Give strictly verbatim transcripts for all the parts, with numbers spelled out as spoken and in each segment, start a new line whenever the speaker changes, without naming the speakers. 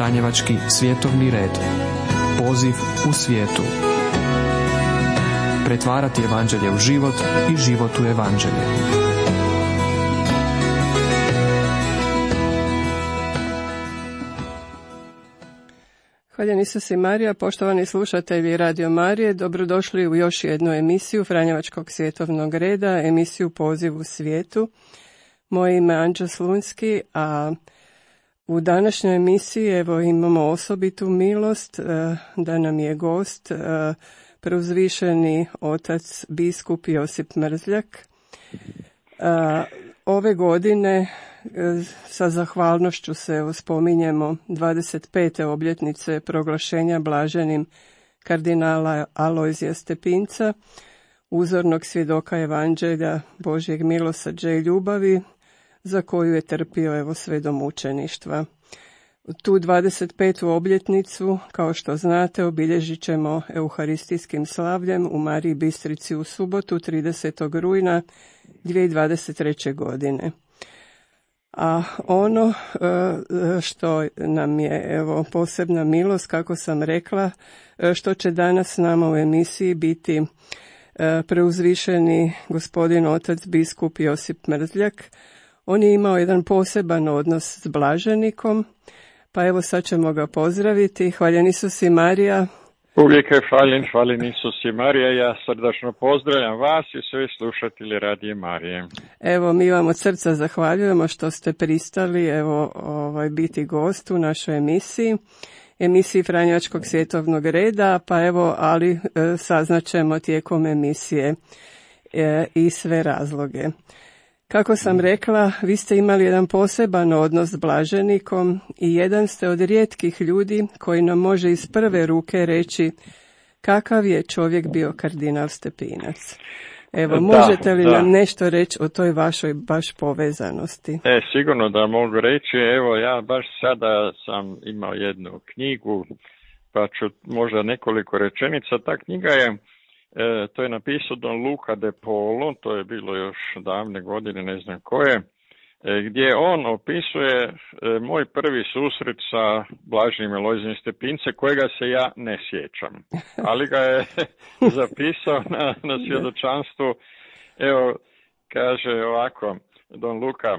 Franjevački svjetovni red. Poziv u svijetu. Pretvarati evanđelje u život i život u evanđelje.
Hvaljen Isus i Marija, poštovani slušatelji Radio Marije, dobrodošli u još jednu emisiju Franjevačkog svjetovnog reda, emisiju Poziv u svijetu. Moje ime je Anđa Slunski, a u današnjoj emisiji evo imamo osobitu milost da nam je gost preuzvišeni otac biskup Josip Mrzljak. Ove godine sa zahvalnošću se evo spominjemo dvadeset pete obljetnice proglašenja blaženim kardinala Alojzija Stepinca, uzornog svjedoka evanđelja Božjeg milosrđa i ljubavi, za koju je trpio evo sve do mučeništva. Tu dvadeset petu obljetnicu, kao što znate, obilježit ćemo euharistijskim slavljem u Mariji Bistrici u subotu tridesetog rujna dvije tisuće dvadeset treće. godine. A ono što nam je evo posebna milost, kako sam rekla, što će danas s nama u emisiji biti preuzvišeni gospodin otac biskup Josip Mrzljak. On je imao jedan poseban odnos s blaženikom, pa evo sad ćemo ga pozdraviti. Hvaljen Isus i Marija.
Uvijek je hvaljen, hvaljen Isus i Marija. Ja srdačno pozdravljam vas i sve slušatelji Radije Marije.
Evo, mi vam od srca zahvaljujemo što ste pristali evo ovaj, biti gost u našoj emisiji, emisiji Franjevačkog svjetovnog reda, pa evo, ali e, saznaćemo tijekom emisije e, i sve razloge. Kako sam rekla, vi ste imali jedan poseban odnos s blaženikom i jedan ste od rijetkih ljudi koji nam može iz prve ruke reći kakav je čovjek bio kardinal Stepinac. Evo, možete li da, nam da. nešto reći o toj vašoj baš povezanosti?
E, sigurno da mogu reći. Evo, ja baš sada sam imao jednu knjigu, pa ću možda nekoliko rečenica. Ta knjiga je E, to je napisao Don Luca de Polo, to je bilo još davne godine, ne znam koje, e, gdje on opisuje e, moj prvi susret sa blaženim Alojzijem Stepince, kojega se ja ne sjećam, ali ga je zapisao na, na svjedočanstvu. Evo, kaže ovako Don Luca,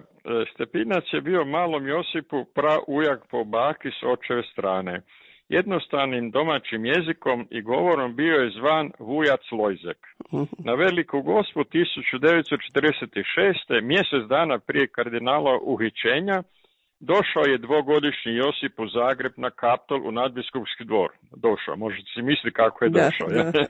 Stepinac je bio malom Josipu praujak po baki s očeve strane. Jednostavnim domaćim jezikom i govorom bio je zvan Vujac Lojzek. Na Veliku Gospu tisuću devetsto četrdeset šeste. mjesec dana prije kardinala uhićenja, došao je dvogodišnji Josip u Zagreb na Kaptol u nadbiskupski dvor. Došao, možete si misliti kako je došao. Da, da.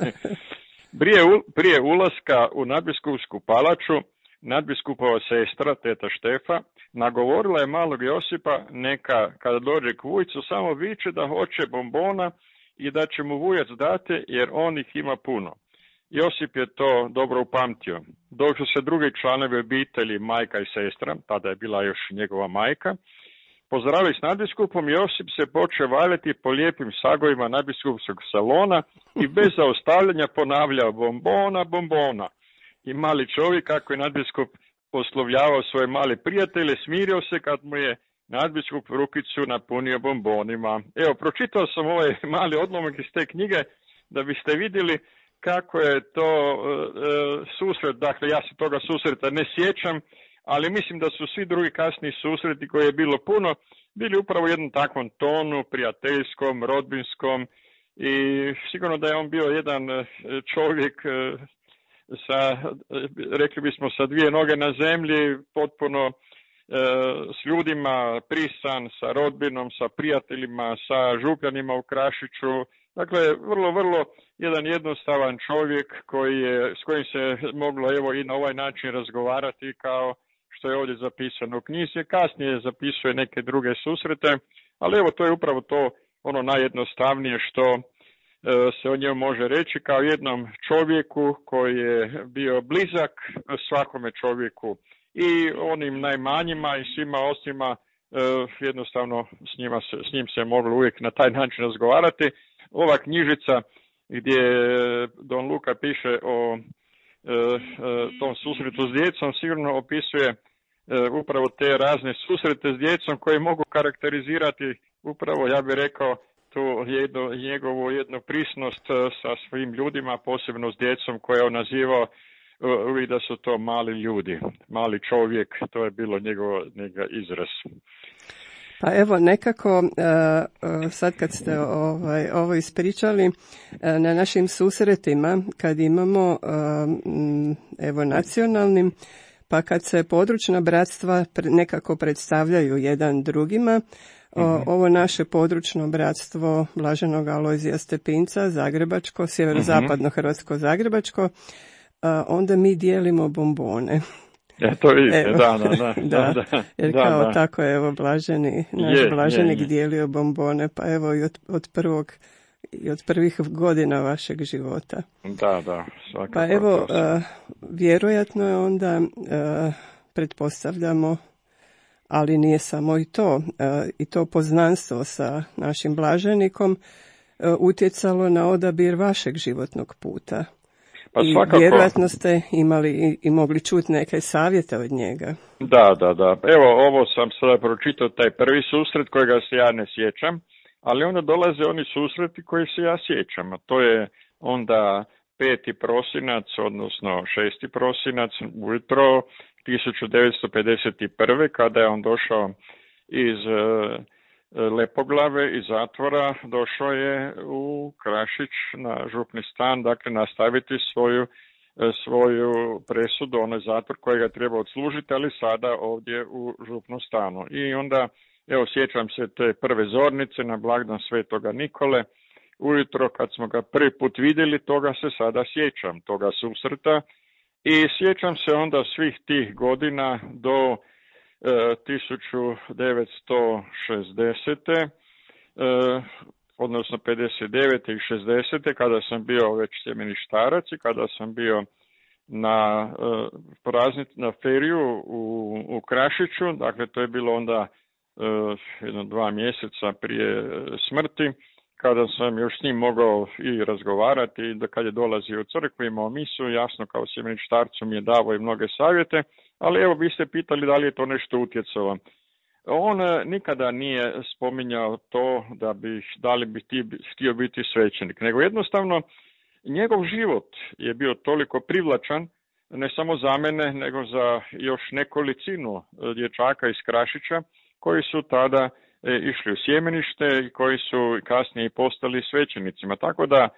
prije, prije ulaska u nadbiskupsku palaču, nadbiskupova sestra, teta Štefa, nagovorila je malog Josipa neka, kada dođe k Vujcu, samo viče da hoće bombona i da će mu Vujac dati, jer on ih ima puno. Josip je to dobro upamtio. Dok su se drugi članovi obitelji, majka i sestra, tada je bila još njegova majka, pozdravili s nadbiskupom, Josip se počeo valjati po lijepim sagovima nadbiskupskog salona i bez zaustavljanja ponavljao bombona, bombona. I mali čovjek, kako je nadbiskup oslovljavao svoje male prijatelje, smirio se kad mu je nadbiskup rukicu napunio bombonima. Evo, pročitao sam ovaj mali odlomak iz te knjige da biste vidjeli kako je to e, susret. Dakle, ja se toga susreta ne sjećam, ali mislim da su svi drugi kasni susreti, koji je bilo puno, bili upravo u jednom takvom tonu, prijateljskom, rodbinskom, i sigurno da je on bio jedan čovjek sa, rekli bismo, sa dvije noge na zemlji, potpuno e, s ljudima prisan, sa rodbinom, sa prijateljima, sa župljanima u Krašiću. Dakle, vrlo, vrlo jedan jednostavan čovjek koji je, s kojim se moglo evo i na ovaj način razgovarati, kao što je ovdje zapisano u knjizi. Kasnije zapisuje neke druge susrete, ali evo, to je upravo to ono najjednostavnije što se o njemu može reći, kao jednom čovjeku koji je bio blizak svakome čovjeku, i onim najmanjima i svima ostima, jednostavno s, njima se, s njim se moglo uvijek na taj način razgovarati. Ova knjižica gdje Don Luca piše o tom susretu s djecom sigurno opisuje upravo te razne susrete s djecom koje mogu karakterizirati upravo ja bih rekao tu jedno, njegovu jednu prisnost sa svim ljudima, posebno s djecom koje je on nazivao uvijek da su to mali ljudi, mali čovjek, to je bilo njegov, njegov izraz.
Pa evo nekako sad kad ste ovaj, ovo ispričali, na našim susretima kad imamo evo nacionalnim, pa kad se područna bratstva nekako predstavljaju jedan drugima, o, ovo naše područno bratstvo Blaženog Alojzija Stepinca, Zagrebačko, sjeverozapadno Hrvatsko Zagrebačko, onda mi dijelimo bombone.
Ja, to vidite, evo, da, da, da,
da,
da,
jer
da,
kao
da.
tako je evo Blaženi, naš
je,
Blaženik
je, je.
dijelio bombone, pa evo i od, od prvog i od prvih godina vašeg života.
Da, da, svakako.
Pa evo, uh, vjerojatno je onda, uh, pretpostavljamo, ali nije samo i to, uh, i to poznanstvo sa našim Blaženikom uh, utjecalo na odabir vašeg životnog puta.
Pa
I
svakako.
vjerojatno ste imali i, i mogli čuti neke savjete od njega.
Da, da, da. Evo, ovo sam sada pročitao, taj prvi susret kojega se ja ne sjećam, ali onda dolaze oni susreti koji se ja sjećam, a to je onda peti prosinac, odnosno šesti prosinac, ujutro tisuću devetsto pedeset prve. kada je on došao iz uh, Lepoglave, iz zatvora, došao je u Krašić na župni stan, dakle nastaviti svoju, svoju presudu, onaj zatvor kojega treba odslužiti, ali sada ovdje u župnom stanu. I onda, evo, sjećam se te prve zornice na blagdan Svetoga Nikole, ujutro kad smo ga prvi put vidjeli, toga se sada sjećam, toga susreta, i sjećam se onda svih tih godina do tisuću devetsto šezdesete. odnosno pedeset devete i šezdesete. kada sam bio već sjemeništarac i kada sam bio na praznic, na feriju u, u Krašiću, dakle to je bilo onda jedno dva mjeseca prije smrti, kada sam još s njim mogao i razgovarati, i da kad je dolazio u crkvu, imao misu, jasno kao sjemeništarcu mi je davao i mnoge savjete, ali evo vi ste pitali da li je to nešto utjecalo. On nikada nije spominjao to da bi, da li bi ti htio biti svećenik, nego jednostavno njegov život je bio toliko privlačan, ne samo za mene, nego za još nekolicinu dječaka iz Krašića, koji su tada išli u sjemenište i koji su kasnije postali svećenicima. Tako da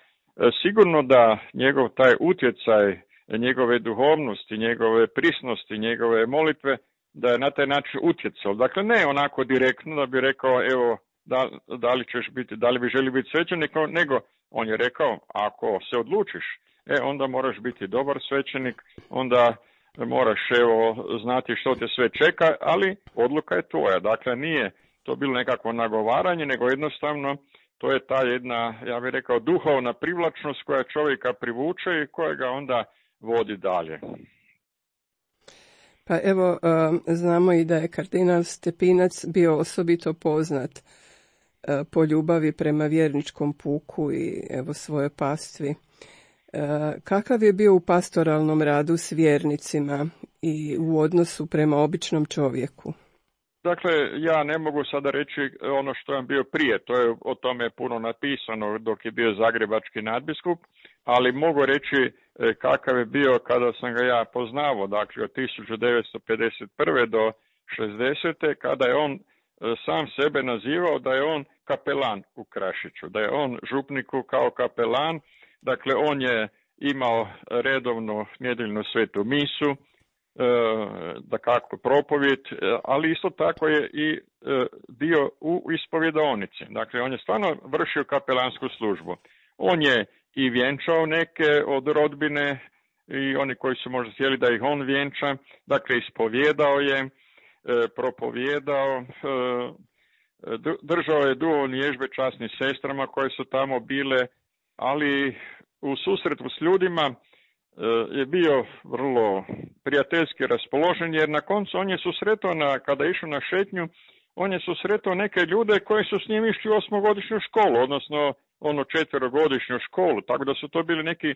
sigurno da njegov taj utjecaj, njegove duhovnosti, njegove prisnosti, njegove molitve, da je na taj način utjecao. Dakle, ne onako direktno da bi rekao, evo, da, da li ćeš biti, da li bi želi biti svećenik, nego on je rekao, ako se odlučiš, e, onda moraš biti dobar svećenik, onda moraš, evo, znati što te sve čeka, ali odluka je tvoja. Dakle, nije to bilo nekakvo nagovaranje, nego jednostavno to je ta jedna, ja bih rekao, duhovna privlačnost koja čovjeka privuče i koja ga onda vodi dalje.
Pa evo, znamo i da je kardinal Stepinac bio osobito poznat po ljubavi prema vjerničkom puku i evo svoje pastvi. Kakav je bio u pastoralnom radu s vjernicima i u odnosu prema običnom čovjeku?
Dakle, ja ne mogu sada reći ono što je bio prije, to je o tome puno napisano dok je bio zagrebački nadbiskup, ali mogu reći kakav je bio kada sam ga ja poznavao, dakle od tisuću devetsto pedeset prve do šezdesete. kada je on sam sebe nazivao da je on kapelan u Krašiću, da je on župniku kao kapelan, dakle on je imao redovnu nedjeljnu svetu misu, da kako propovjed, ali isto tako je i dio u ispovjedaonici. Dakle, on je stvarno vršio kapelansku službu. On je i vjenčao neke od rodbine i oni koji su možda htjeli da ih on vjenča. Dakle, ispovjedao je, propovjedao, držao je duhovne vježbe časnim sestrama koje su tamo bile, ali u susretu s ljudima je bio vrlo prijateljski raspoložen, jer na koncu on je susretao, na, kada je išao na šetnju, on je susretao neke ljude koji su s njim išli u osmogodišnju školu, odnosno ono četverogodišnju školu, tako da su to bili neki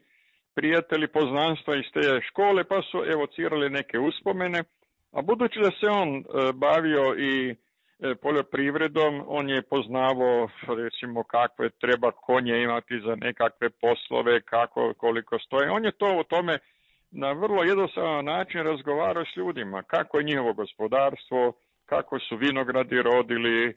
prijatelji poznanstva iz te škole, pa su evocirali neke uspomene, a budući da se on bavio i poljoprivredom, on je poznavao recimo kakve treba konje imati za nekakve poslove, kako, koliko stoje. On je to o tome na vrlo jednostavan način razgovarao s ljudima, kako je njihovo gospodarstvo, kako su vinogradi rodili,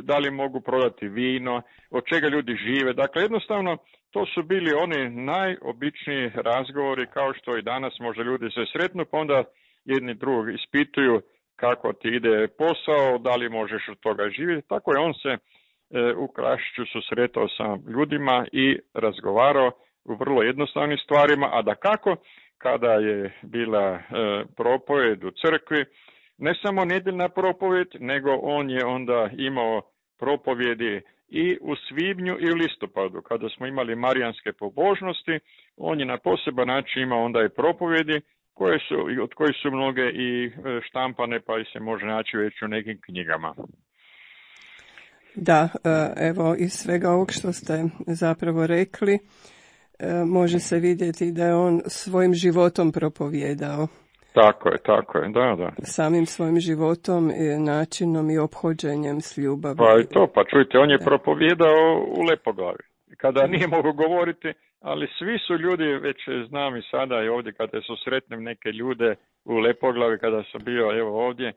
da li mogu prodati vino, od čega ljudi žive. Dakle, jednostavno, to su bili oni najobičniji razgovori, kao što i danas može ljudi se sretnu, pa onda jedni drugog ispituju kako ti ide posao, da li možeš od toga živjeti. Tako je on se e, u Krašiću susretao sa ljudima i razgovarao u vrlo jednostavnim stvarima, a da kako, kada je bila e, propovjed u crkvi, ne samo nedjeljna propovjed, nego on je onda imao propovjedi i u svibnju i u listopadu. Kada smo imali marijanske pobožnosti, on je na poseban način imao onda i propovjedi, koje su, od kojih su mnoge i štampane, pa i se može naći već u nekim knjigama.
Da, evo iz svega ovog što ste zapravo rekli, može se vidjeti da je on svojim životom propovjedao.
Tako je, tako je, da, da.
Samim svojim životom, načinom i ophođenjem s ljubavi.
Pa i to, pa čujte, on je da. propovjedao u Lepoglavi. Kada nije mogu govoriti, ali svi su ljudi, već znam i sada i ovdje kada su sretnem neke ljude u Lepoglavi, kada sam bio evo ovdje,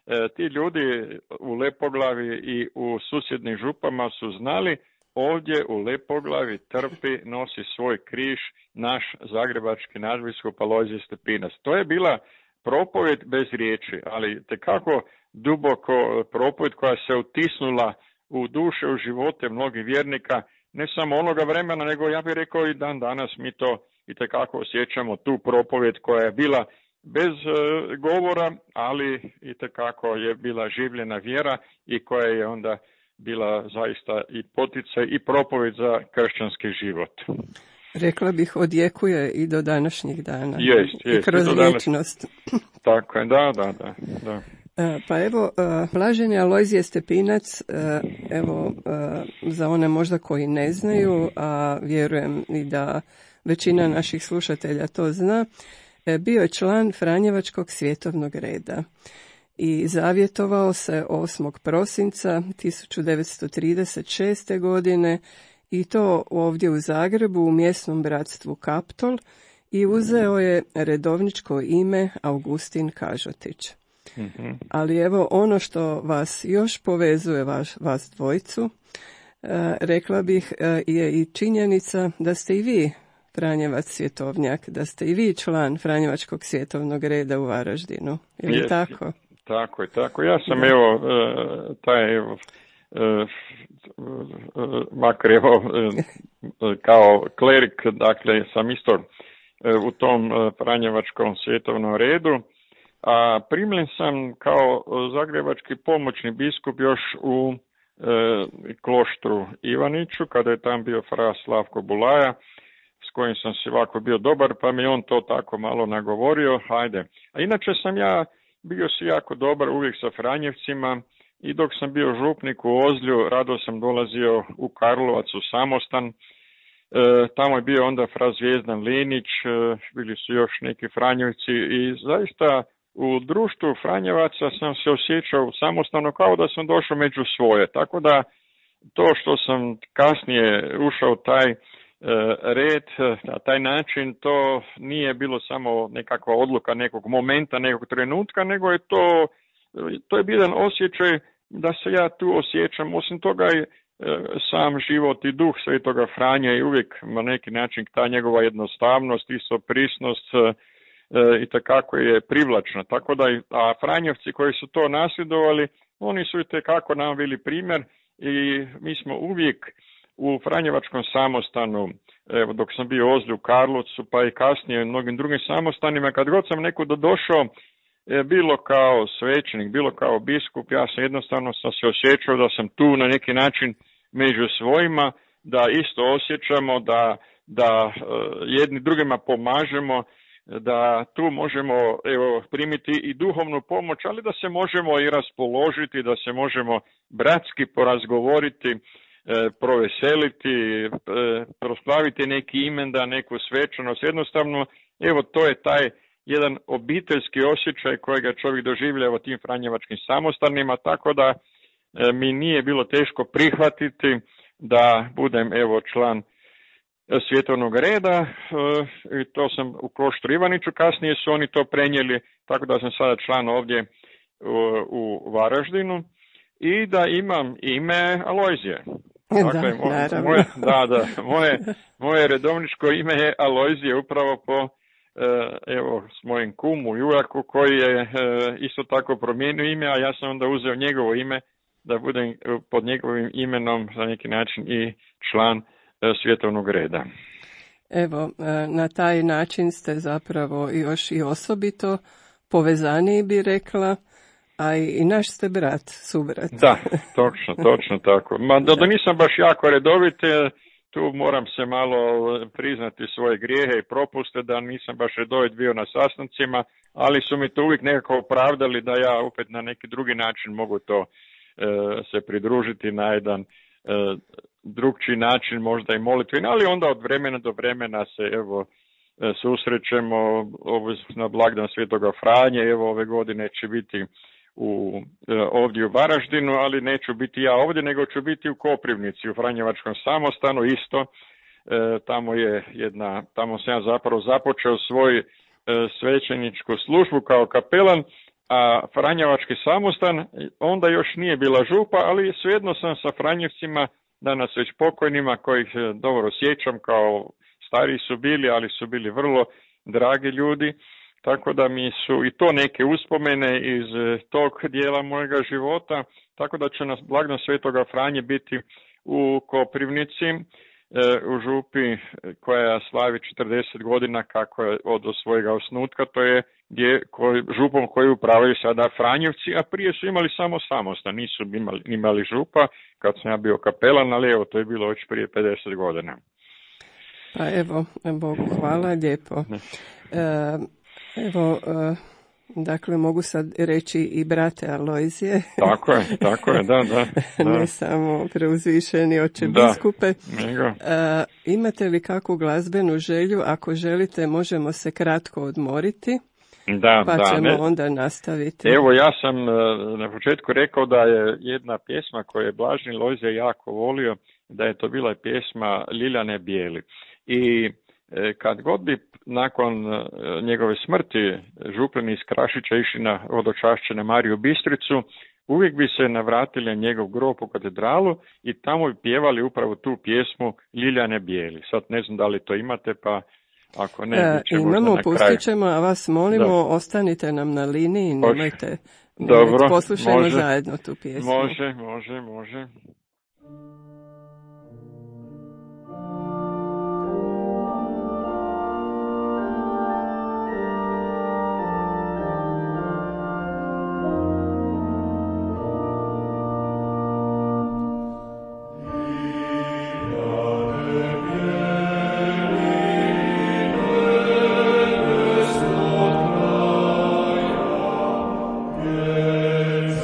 e, ti ljudi u Lepoglavi i u susjednim župama su znali, ovdje u Lepoglavi trpi, nosi svoj križ naš zagrebački nadbiskup Alojzije Stepinac. To je bila propovjed bez riječi, ali tekako duboko propovjed koja se utisnula u duše, u živote mnogih vjernika, ne samo onoga vremena, nego ja bih rekao i dan danas mi to itekako osjećamo, tu propovjed koja je bila bez e, govora, ali itekako je bila življena vjera i koja je onda bila zaista i poticaj i propovjed za kršćanski život.
Rekla bih, odjekuje i do današnjih dana.
Jest, jest.
I kroz vječnost.
Tako je, da, da, da. da.
Pa evo, blaženi Alojzije Stepinac, evo, za one možda koji ne znaju, a vjerujem i da većina naših slušatelja to zna, bio je član Franjevačkog svjetovnog reda i zavjetovao se osmog prosinca tisuću devetsto trideset šeste. godine i to ovdje u Zagrebu u mjesnom bratstvu Kaptol i uzeo je redovničko ime Augustin Kažotić. Mm-hmm. Ali evo ono što vas još povezuje vas, vas dvojicu, e, rekla bih e, je i činjenica da ste i vi Franjevac svjetovnjak, da ste i vi član Franjevačkog svjetovnog reda u Varaždinu. Je li tako?
Tako je, tako. Ja sam da. evo taj evo makar evo kao klerik, dakle sam isto u tom Franjevačkom svjetovnom redu, a primljen sam kao zagrebački pomoćni biskup još u e, kloštru Ivaniću, kada je tam bio fra Slavko Bulaja, s kojim sam se ovako bio dobar, pa mi on to tako malo nagovorio, hajde. A inače sam ja bio si jako dobar uvijek sa Franjevcima i dok sam bio župnik u Ozlju, rado sam dolazio u Karlovac u samostan. E, tamo je bio onda fra Zvijezdan Linić, e, bili su još neki Franjevci i zaista u društvu Franjevaca sam se osjećao samostalno kao da sam došao među svoje. Tako da to što sam kasnije ušao taj e, red, na taj način, to nije bilo samo nekakva odluka nekog momenta, nekog trenutka, nego je to, to je bio jedan osjećaj da se ja tu osjećam. Osim toga i e, sam život i duh Svetoga Franje i uvijek na neki način ta njegova jednostavnost i soprisnost i takako je privlačna. Tako da, a Franjevci koji su to nasljedovali, oni su i tekako nam bili primjer i mi smo uvijek u Franjevačkom samostanu, evo dok sam bio u Ozlju, u Karlovcu, pa i kasnije u mnogim drugim samostanima, kad god sam nekuda došao, bilo kao svećenik, bilo kao biskup, ja sam jednostavno sam se osjećao da sam tu na neki način među svojima, da isto osjećamo, da, da jedni drugima pomažemo, da tu možemo evo, primiti i duhovnu pomoć, ali da se možemo i raspoložiti, da se možemo bratski porazgovoriti, e, proveseliti, e, proslaviti neki imenda, neku svečanost. Jednostavno, evo, to je taj jedan obiteljski osjećaj kojega čovjek doživlja u tim franjevačkim samostanima, tako da mi nije bilo teško prihvatiti da budem evo član svjetovnog reda, i to sam u Kloštru Ivaniću, kasnije su oni to prenijeli, tako da sam sada član ovdje u Varaždinu i da imam ime Alojzije. Dakle,
da,
moje, moje, da, da, moje, moje redovničko ime je Alojzije upravo po evo s mojim kumu Juraku koji je isto tako promijenio ime, a ja sam onda uzeo njegovo ime da budem pod njegovim imenom za neki način i član svjetovnog reda.
Evo, na taj način ste zapravo još i osobito povezaniji, bi rekla, a i naš ste brat, subrat.
Da, točno, točno tako. Ma da, da nisam baš jako redovit, tu moram se malo priznati svoje grijehe i propuste, da nisam baš redovit bio na sastancima, ali su mi to uvijek nekako opravdali da ja opet na neki drugi način mogu to e, se pridružiti na jedan e, drugčiji način, možda i molitveni, ali onda od vremena do vremena se evo susrećemo na blagdan Svetoga Franje, evo ove godine će biti u, ovdje u Varaždinu, ali neću biti ja ovdje, nego ću biti u Koprivnici, u Franjevačkom samostanu isto. E, tamo je jedna, tamo sam ja zapravo započeo svoj e, svećeničku službu kao kapelan, a Franjevački samostan onda još nije bila župa, ali svejedno sam sa Franjevcima, danas već pokojnima, kojih dobro sjećam, kao stariji su bili, ali su bili vrlo dragi ljudi, tako da mi su i to neke uspomene iz tog dijela mojega života, tako da će nas blagdan Svetoga Franje biti u Koprivnici, u župi koja slavi četrdeset godina kako je od svojega osnutka, to je gdje, koj, župom koju upravljaju sada Franjevci, a prije su imali samo samostan, nisu imali, imali župa kad sam ja bio kapelan, ali evo to je bilo već prije pedeset godina.
Pa evo, Bogu hvala, lijepo. E, evo, e, dakle, mogu sad reći i brate Alojzije.
Tako je, tako je, da, da. da.
Ne samo preuzvišeni oče biskupe. E, imate li kakvu glazbenu želju? Ako želite, možemo se kratko odmoriti.
Da,
pa
da,
ćemo
ne.
onda nastaviti.
Evo, ja sam na početku rekao da je jedna pjesma koju je Blaženi Lojzije jako volio, da je to bila pjesma Ljiljane Bijeli. I kad god bi nakon njegove smrti župani iz Krašića išli na hodočašće Mariju Bistricu, uvijek bi se navratili njegov grob u katedralu i tamo bi pjevali upravo tu pjesmu Ljiljane Bijeli. Sad ne znam da li to imate, pa ako ne,
e, imamo, pustit ćemo, a vas molimo, da. Ostanite nam na liniji, nemojte,
Dobro,
poslušajmo
može,
zajedno tu pjesmu.
Može, može, može.
Yes.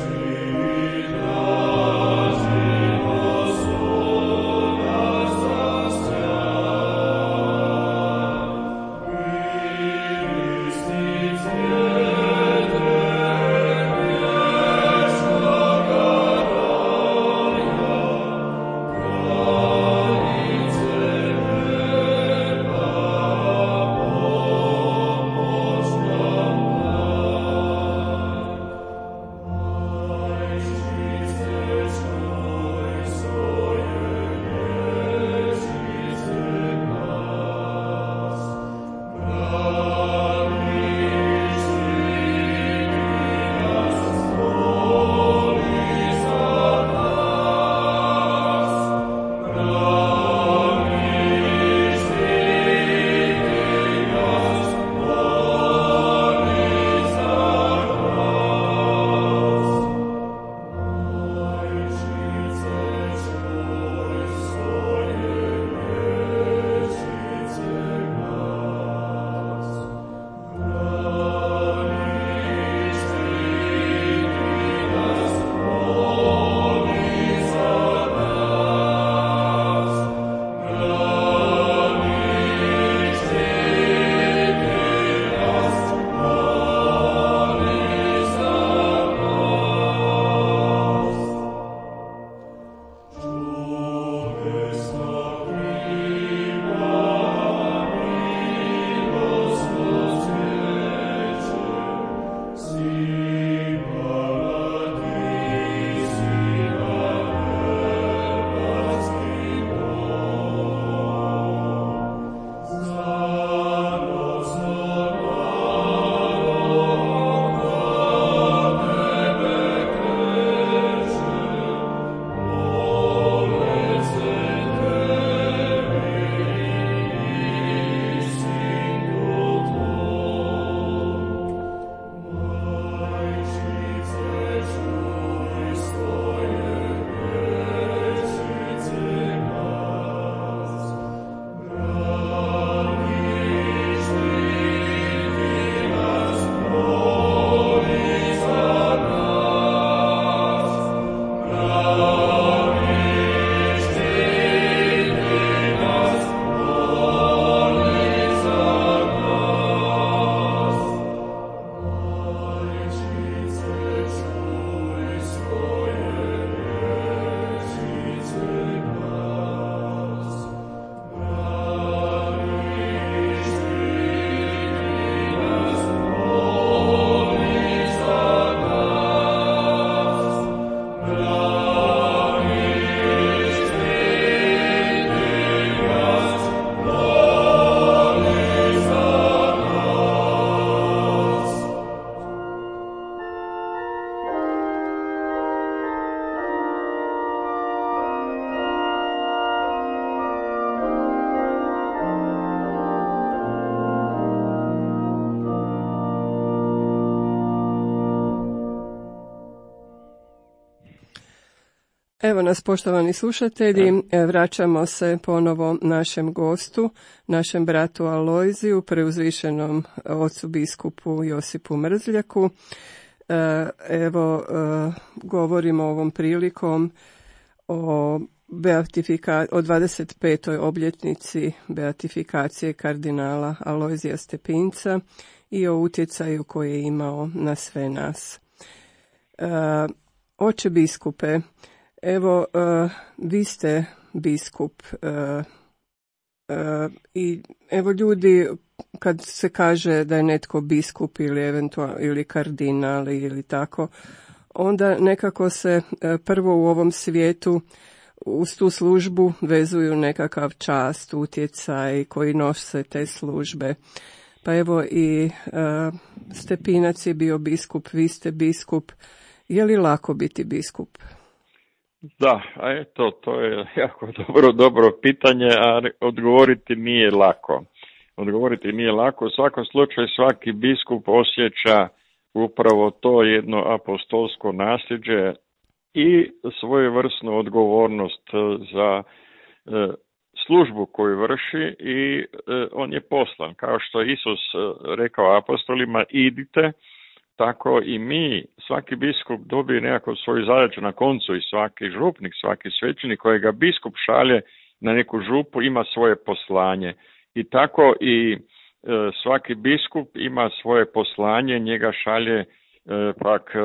Evo nas, poštovani slušatelji, vraćamo se ponovo našem gostu, našem bratu Alojziju, preuzvišenom ocu biskupu Josipu Mrzljaku. Evo, govorimo ovom prilikom o, beatifika, o dvadeset petoj obljetnici beatifikacije kardinala Alojzija Stepinca i o utjecaju koji je imao na sve nas. Oče biskupe, evo, uh, vi ste biskup uh, uh, i evo ljudi, kad se kaže da je netko biskup ili eventualno ili kardinal ili tako, onda nekako se uh, prvo u ovom svijetu uz tu službu vezuju nekakav čast, utjecaj koji nose te službe. Pa evo i uh, Stepinac je bio biskup, vi ste biskup. Je li lako biti biskup?
Da, a eto, to je jako dobro, dobro pitanje, a odgovoriti nije lako. Odgovoriti nije lako. U svakom slučaju svaki biskup osjeća upravo to jedno apostolsko nasljeđe i svojevrsnu odgovornost za e, službu koju vrši i e, on je poslan. Kao što je Isus rekao apostolima, idite, tako i mi, svaki biskup dobije nekako svoju zadaću na koncu i svaki župnik, svaki svećenik kojega biskup šalje na neku župu ima svoje poslanje. I tako i e, svaki biskup ima svoje poslanje, njega šalje e, pak e,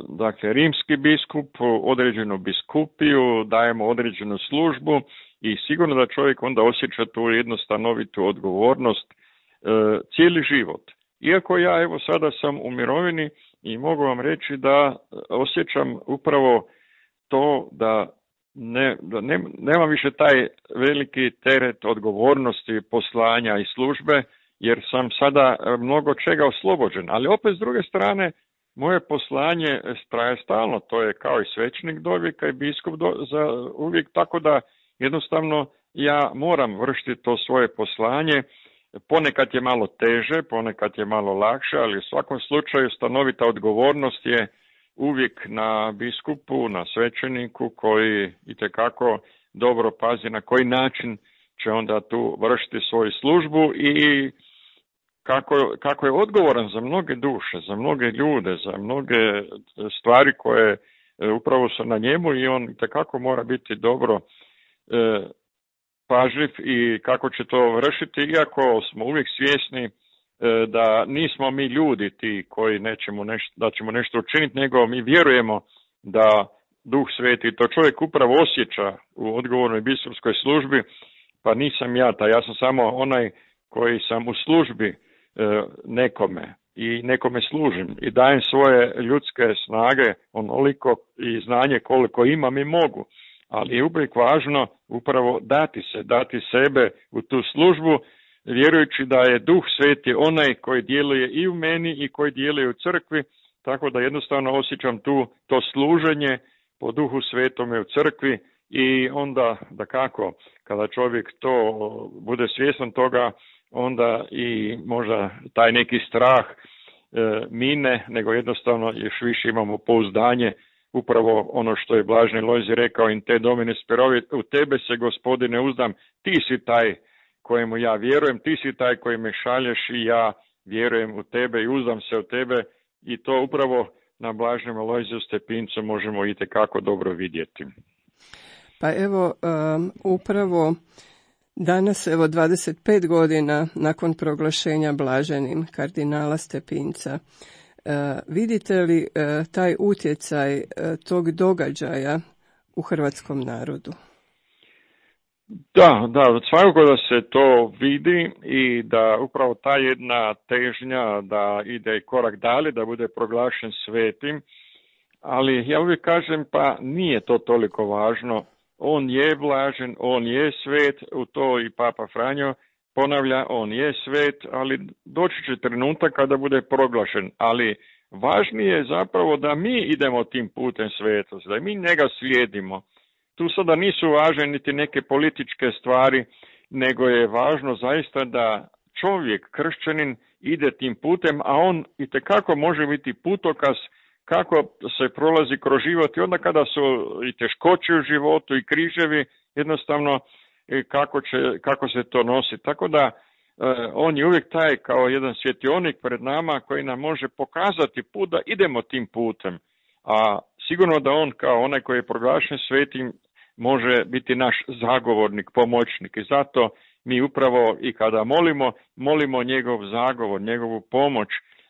dakle, rimski biskup, određenu biskupiju, dajemo određenu službu i sigurno da čovjek onda osjeća tu jednu stanovitu odgovornost e, cijeli život. Iako ja evo sada sam u mirovini i mogu vam reći da osjećam upravo to da, ne, da ne, nemam više taj veliki teret odgovornosti, poslanja i službe, jer sam sada mnogo čega oslobođen. Ali opet s druge strane, moje poslanje traje stalno, to je kao i svećenik do vijeka i biskup do, za uvijek, tako da jednostavno ja moram vršiti to svoje poslanje. Ponekad je malo teže, ponekad je malo lakše, ali u svakom slučaju stanovita odgovornost je uvijek na biskupu, na svećeniku koji itekako dobro pazi na koji način će onda tu vršiti svoju službu i kako, kako je odgovoran za mnoge duše, za mnoge ljude, za mnoge stvari koje upravo su na njemu i on itekako mora biti dobro e, pažljiv i kako će to vršiti, iako smo uvijek svjesni e, da nismo mi ljudi ti koji nećemo nešto, da ćemo nešto učiniti, nego mi vjerujemo da Duh Sveti, to čovjek upravo osjeća u odgovornoj biskupskoj službi, pa nisam ja, ta ja sam samo onaj koji sam u službi e, nekome i nekome služim i dajem svoje ljudske snage onoliko i znanje koliko imam i mogu. Ali je uvijek važno upravo dati se, dati sebe u tu službu, vjerujući da je Duh Sveti onaj koji djeluje i u meni i koji djeluje u crkvi, tako da jednostavno osjećam tu to služenje po Duhu Svetome u crkvi i onda da kako, kada čovjek to bude svjestan toga, onda i možda taj neki strah e, mine, nego jednostavno još više imamo pouzdanje. Upravo ono što je blaženi Lojzij rekao, in te domine sperovi, u tebe se Gospodine uzdam, ti si taj kojemu ja vjerujem, ti si taj koji me šalješ i ja vjerujem u tebe i uzdam se u tebe i to upravo na blaženom Lojziju Stepincu možemo itekako dobro vidjeti.
Pa evo, um, upravo danas, evo dvadeset pet godina nakon proglašenja blaženim kardinala Stepinca, Uh, vidite li uh, taj utjecaj uh, tog događaja u hrvatskom narodu?
Da, da, svakako da se to vidi i da upravo ta jedna težnja da ide korak dalje, da bude proglašen svetim, ali ja uvijek kažem pa nije to toliko važno, on je blažen, on je svet, u to i Papa Franjo ponavlja, on je svet, ali doći će trenutak kada bude proglašen, ali važnije je zapravo da mi idemo tim putem svetosti, da mi njega slijedimo. Tu sada nisu važne niti neke političke stvari, nego je važno zaista da čovjek, kršćanin, ide tim putem, a on itekako može biti putokaz kako se prolazi kroz život i onda kada su i teškoće u životu i križevi, jednostavno kako, će, kako se to nosi. Tako da on je uvijek taj kao jedan svjetionik pred nama koji nam može pokazati put da idemo tim putem. A sigurno da on kao onaj koji je proglašen svetim može biti naš zagovornik, pomoćnik. I zato mi upravo i kada molimo, molimo njegov zagovor, njegovu pomoć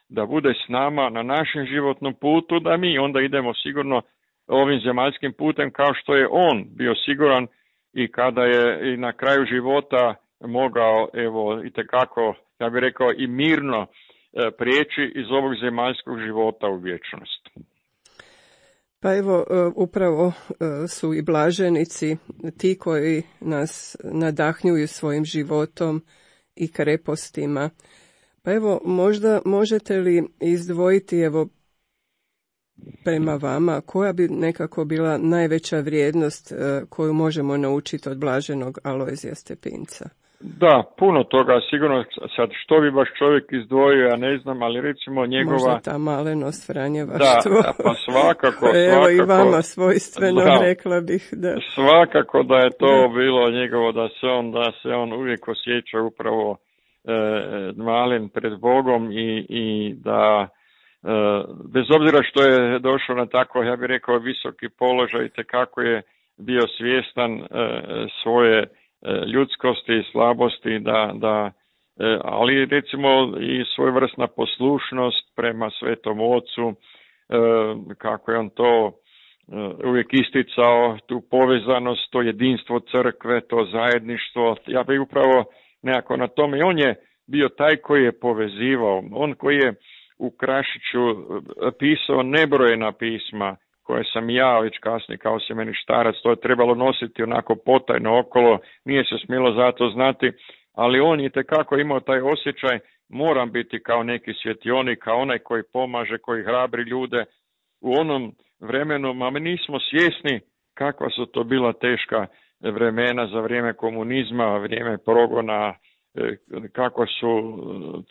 da bude s nama na našem životnom putu, da mi onda idemo sigurno ovim zemaljskim putem kao što je on bio siguran i kada je i na kraju života mogao, evo, itekako, ja bih rekao, i mirno prijeći iz ovog zemaljskog života u vječnost.
Pa evo, upravo su i blaženici ti koji nas nadahnjuju svojim životom i krepostima. Pa evo, možda možete li izdvojiti, evo, prema vama, koja bi nekako bila najveća vrijednost koju možemo naučiti od blaženog Alojzija Stepinca?
Da, puno toga, sigurno sad što bi baš čovjek izdvojio, ja ne znam, ali recimo njegova...
Možda ta malenost, franjevaštvo.
Da, pa svakako, svakako...
Evo i vama svojstveno, da, rekla bih, da...
Svakako da je to da. bilo njegovo, da se on, da se on uvijek osjeća upravo e, malen pred Bogom i, i da... E, bez obzira što je došao na tako, ja bih rekao, visoki položaj, te kako je bio svjestan e, svoje ljudskosti i slabosti, da, da, ali recimo i svojevrsna poslušnost prema Svetom Ocu, kako je on to uvijek isticao, tu povezanost, to jedinstvo crkve, to zajedništvo. Ja bih upravo nekako na tome, i on je bio taj koji je povezivao, on koji je u Krašiću pisao nebrojena pisma, koje sam ja već kasnije kao semeništarac, to je trebalo nositi onako potajno okolo, nije se smjelo zato znati, ali on je itekako imao taj osjećaj, moram biti kao neki svjetionik, kao onaj koji pomaže, koji hrabri ljude u onom vremenu, a mi nismo svjesni kakva su to bila teška vremena za vrijeme komunizma, vrijeme progona, kako su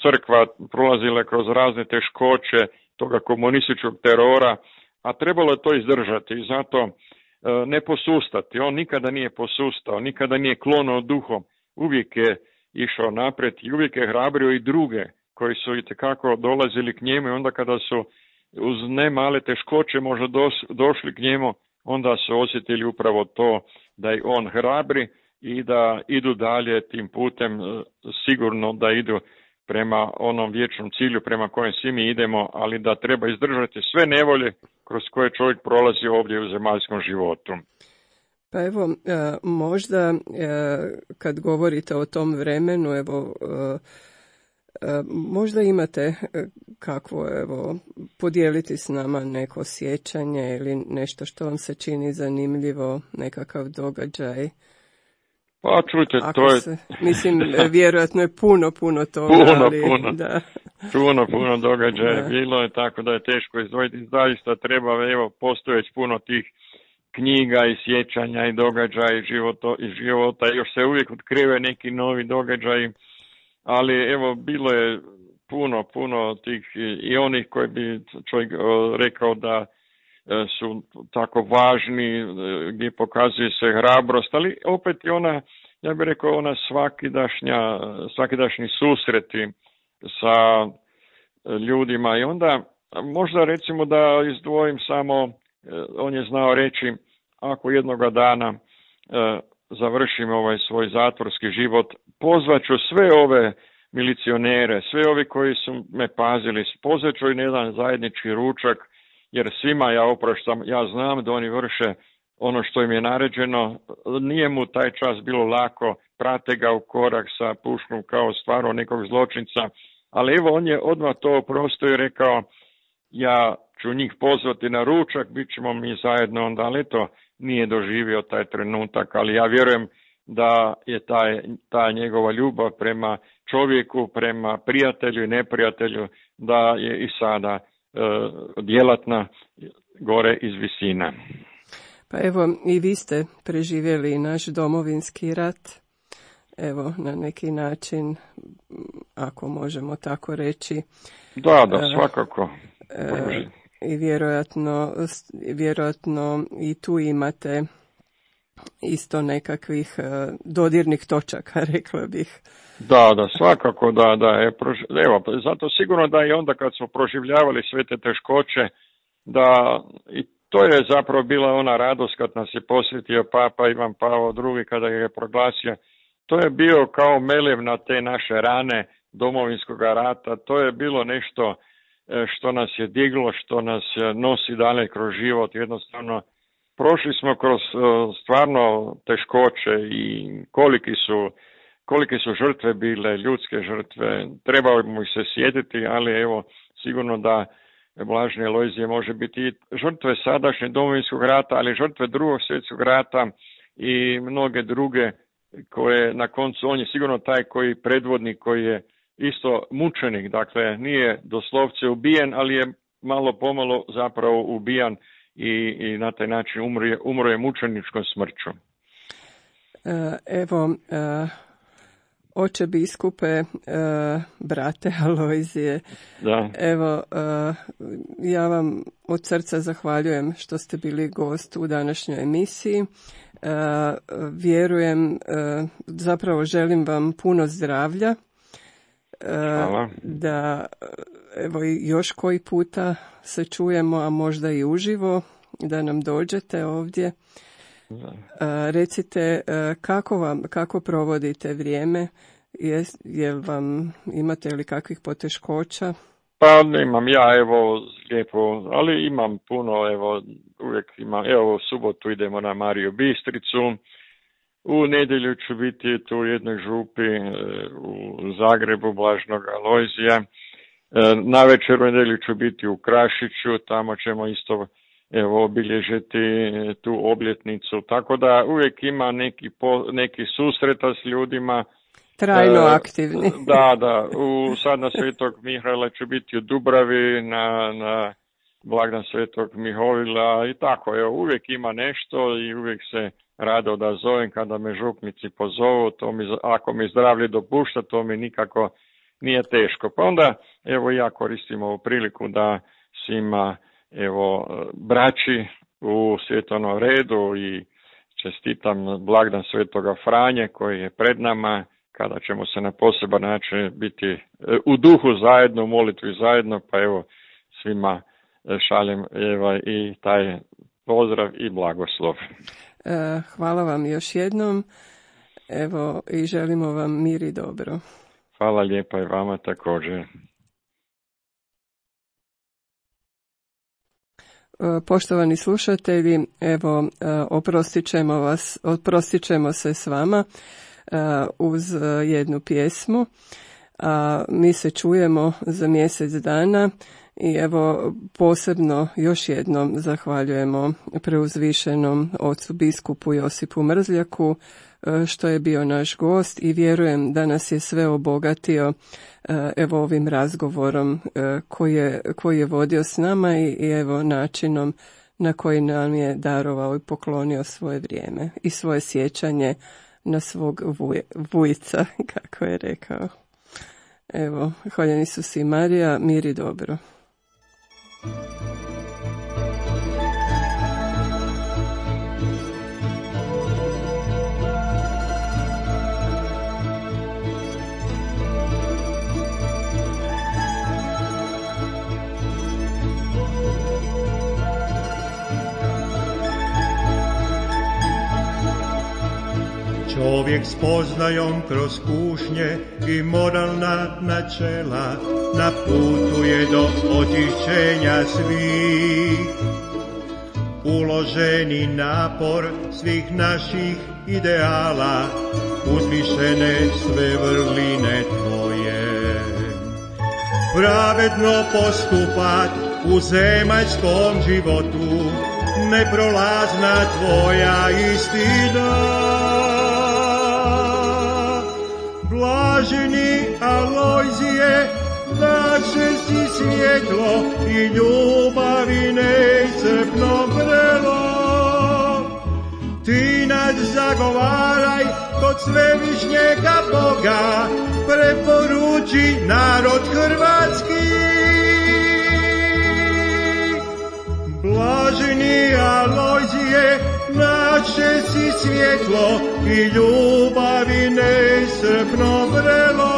crkva prolazile kroz razne teškoće toga komunističkog terora, a trebalo je to izdržati i zato e, ne posustati. On nikada nije posustao, nikada nije klonuo duhom, uvijek je išao naprijed i uvijek je hrabrio i druge koji su itekako dolazili k njemu i onda kada su uz ne male teškoće možda dos, došli k njemu, onda su osjetili upravo to da i on hrabri i da idu dalje tim putem, sigurno da idu prema onom vječnom cilju prema kojem svi mi idemo, ali da treba izdržati sve nevolje kroz koje čovjek prolazi ovdje u zemaljskom životu.
Pa evo, možda kad govorite o tom vremenu, evo, možda imate kakvo, evo, podijeliti s nama neko sjećanje ili nešto što vam se čini zanimljivo, nekakav događaj.
Pa čujte,
Ako
to je...
Se, mislim, vjerojatno je puno, puno toga.
Puno,
ali,
puno.
Da.
Puno, puno događaja
Da.
bilo je, tako da je teško izdvojiti. Zaista treba, evo, postoje već puno tih knjiga i sjećanja i događaja i života, i života. Još se uvijek otkrive neki novi događaji, ali evo, bilo je puno, puno tih i onih koji bi čovjek rekao da su tako važni, gdje pokazuje se hrabrost, ali opet i ona, ja bih rekao, ona svakidašnja, svakidašnji susreti sa ljudima i onda možda recimo da izdvojim samo, on je znao reći, ako jednoga dana završim ovaj svoj zatvorski život, pozvaću sve ove milicionere, sve ovi koji su me pazili, pozvaću i na jedan zajednički ručak, jer svima ja opraštam, ja znam da oni vrše ono što im je naređeno, nije mu taj čas bilo lako, prate ga u korak sa puškom kao stvarno nekog zločinca, ali evo on je odmah to oprostio i rekao, ja ću njih pozvati na ručak, bit ćemo mi zajedno onda, ali to nije doživio taj trenutak, ali ja vjerujem da je taj, ta njegova ljubav prema čovjeku, prema prijatelju i neprijatelju, da je i sada djelatna gore iz visina.
Pa evo, i vi ste preživjeli naš domovinski rat, evo, na neki način, ako možemo tako reći.
Da, da, svakako.
E, i vjerojatno, vjerojatno i tu imate isto nekakvih dodirnih točaka, rekla bih.
Da, da, svakako da, da je, evo, zato sigurno da i onda kad smo proživljavali sve te teškoće, da i to je zapravo bila ona radost kad nas je posjetio Papa Ivan Pavao drugi kada je proglasio. To je bio kao melev na te naše rane Domovinskog rata, to je bilo nešto što nas je diglo, što nas nosi dalje kroz život, jednostavno prošli smo kroz stvarno teškoće i koliki su, kolike su žrtve bile, ljudske žrtve, trebamo ih se sjetiti, ali evo sigurno da Blaženi Alojzije može biti i žrtve sadašnje Domovinskog rata, ali žrtve drugog svjetskog rata i mnoge druge koje na koncu, on je sigurno taj koji predvodnik, koji je isto mučenik, dakle nije doslovce ubijen, ali je malo pomalo zapravo ubijan i, i na taj način umro je, umro je mučeničkom smrću.
Evo, oče biskupe, brate Alojzije,
da.
Evo, ja vam od srca zahvaljujem što ste bili gost u današnjoj emisiji. Vjerujem, zapravo želim vam puno zdravlja.
Hvala.
Da evo još koji puta se čujemo, a možda i uživo, da nam dođete ovdje. Da. Recite kako vam, kako provodite vrijeme, je, je vam, imate li kakvih poteškoća?
Pa nemam ja, evo, lijepo, ali imam puno, evo, uvijek imam, evo, u subotu idemo na Mariju Bistricu, u nedjelju ću biti tu u jednoj župi u Zagrebu Blaženog Alojzija, na večer u nedjelju ću biti u Krašiću, tamo ćemo isto, evo, obilježiti tu obljetnicu, tako da uvijek ima neki, po, neki susreta s ljudima.
Trajno aktivni.
Da, da, u, sad na Svetog Mihaela ću biti u Dubravi, na, na blagdan Svetog Mihovila i tako, evo, uvijek ima nešto i uvijek se rado da zovem kada me župnici pozovu, to mi, ako mi zdravlje dopušta, to mi nikako nije teško. Pa onda, evo, ja koristim ovu priliku da svima, evo, braći u Svjetovnom redu i čestitam blagdan Svetoga Franje koji je pred nama, kada ćemo se na poseban način biti u duhu zajedno, u molitvi zajedno, pa evo svima šaljem evo, i taj pozdrav i blagoslov.
Hvala vam još jednom, evo, i želimo vam mir i dobro.
Hvala lijepa i vama također.
Poštovani slušatelji, evo, oprostit ćemo vas, oprostit ćemo se s vama uz jednu pjesmu. A mi se čujemo za mjesec dana i evo posebno još jednom zahvaljujemo preuzvišenom ocu biskupu Josipu Mrzljaku što je bio naš gost i vjerujem da nas je sve obogatio evo ovim razgovorom koji je, koji je vodio s nama i, i evo načinom na koji nam je darovao i poklonio svoje vrijeme i svoje sjećanje na svog vuj, vujca, kako je rekao. Evo, hvaljen Isus i Marija, mir i dobro.
Čovjek spoznajom kroz kušnje i moralna načela na putu je do očišćenja svih. Uloženi napor svih naših ideala, uzvišene sve vrline tvoje. Pravedno postupat u zemaljskom životu, neprolazna tvoja istina. Blaženi Alojzije, naše si svjetlo i ljubavi neiscrpno vrelo. Ti nas zagovaraj kod svevišnjega Boga, preporuči narod hrvatski. Blaženi Alojzije, naše si svjetlo i ljubavi neiscrpno vrelo.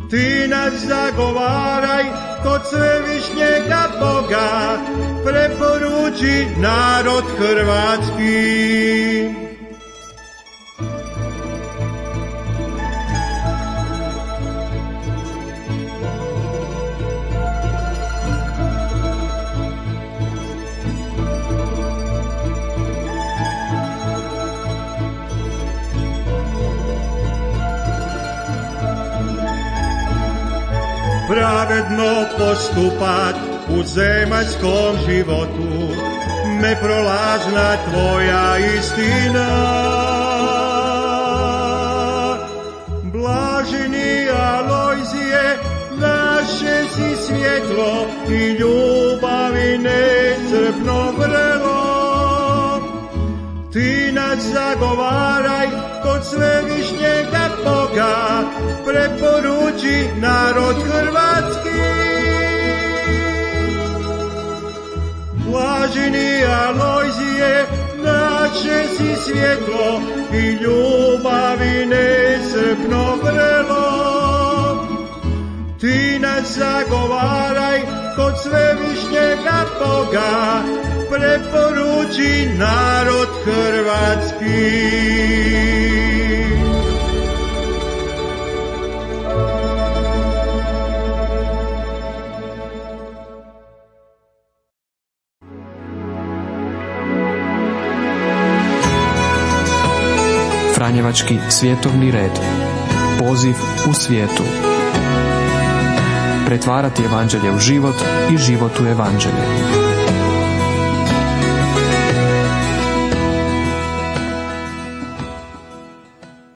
Ti nas zagovaraj kod svevišnjega Boga, preporuči narod hrvatski. Pravedno postupat u zemaljskom životu, neprolazna tvoja istina. Blaženi Alojzije, naše si svjetlo i ljubavi neiscrpno vrelo. Ti nas zagovaraj kod svevišnjega Boga, preporuči narod hrvatski. Blaženi Alojzije, naše si svjetlo i ljubavi neiscrpno vrelo. Ti nas zagovaraj kod svevišnjega Boga, preporuči narod hrvatski.
Franjevački svjetovni red. Poziv u svijetu. Pretvarati evanđelje u život i život u evanđelje.